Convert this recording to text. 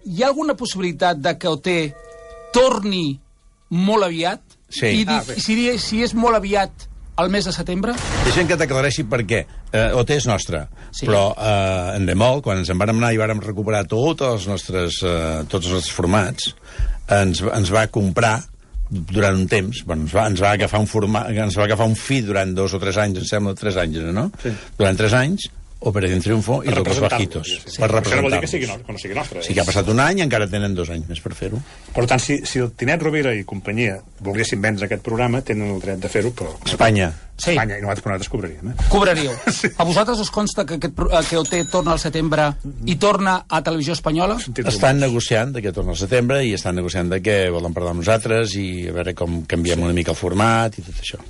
hi ha alguna possibilitat de que OT torni molt aviat? Sí. I si és molt aviat al mes de setembre? Deixem que t'aclareixi per què. OT és nostre, però Endemol, quan ens en vàrem anar i vàrem recuperar tots els nostres formats, ens va comprar durant un temps, ens va agafar un fi durant 2 o 3 anys, em sembla 3 anys, no? Sí. Durant 3 anys, Operación Triunfo i Los Bajitos, per representar-los. Això no vol dir que no sigui nostre. Sí que ha passat un any i encara tenen 2 anys més per fer-ho. Per tant, si el Tinet Rovira i companyia volguessin vendre aquest programa, tenen el dret de fer-ho, però... Espanya. Sí. Espanya, i nosaltres cobraríem. Cobraríeu. Sí. A vosaltres us consta que OT torna al setembre i torna a Televisió Espanyola? Estan negociant que torna al setembre i estan negociant que volen parlar amb nosaltres i a veure com canviem una mica el format i tot això.